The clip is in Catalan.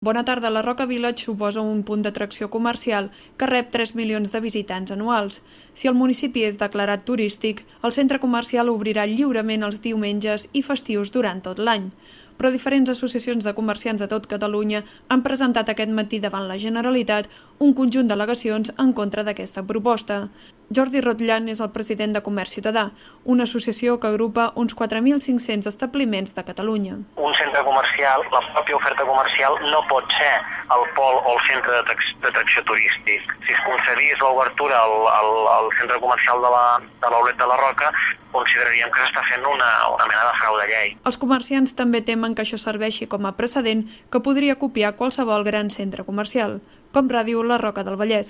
Bona tarda. La Roca Village suposa un punt d'atracció comercial que rep 3 milions de visitants anuals. Si el municipi és declarat turístic, el centre comercial obrirà lliurement els diumenges i festius durant tot l'any. Però diferents associacions de comerciants de tot Catalunya han presentat aquest matí davant la Generalitat un conjunt d'al·legacions en contra d'aquesta proposta. Jordi Rotllan és el president de Comerç Ciutadà, una associació que agrupa uns 4.500 establiments de Catalunya. Un centre comercial, la pròpia oferta comercial, no pot ser el pol o el centre d'atracció turístic. Si es concedís l'obertura al centre comercial de l'Aulet de la Roca, consideraríem que s'està fent una mena de frau de llei. Els comerciants també temen que això serveixi com a precedent que podria copiar qualsevol gran centre comercial, com Ràdio La Roca del Vallès.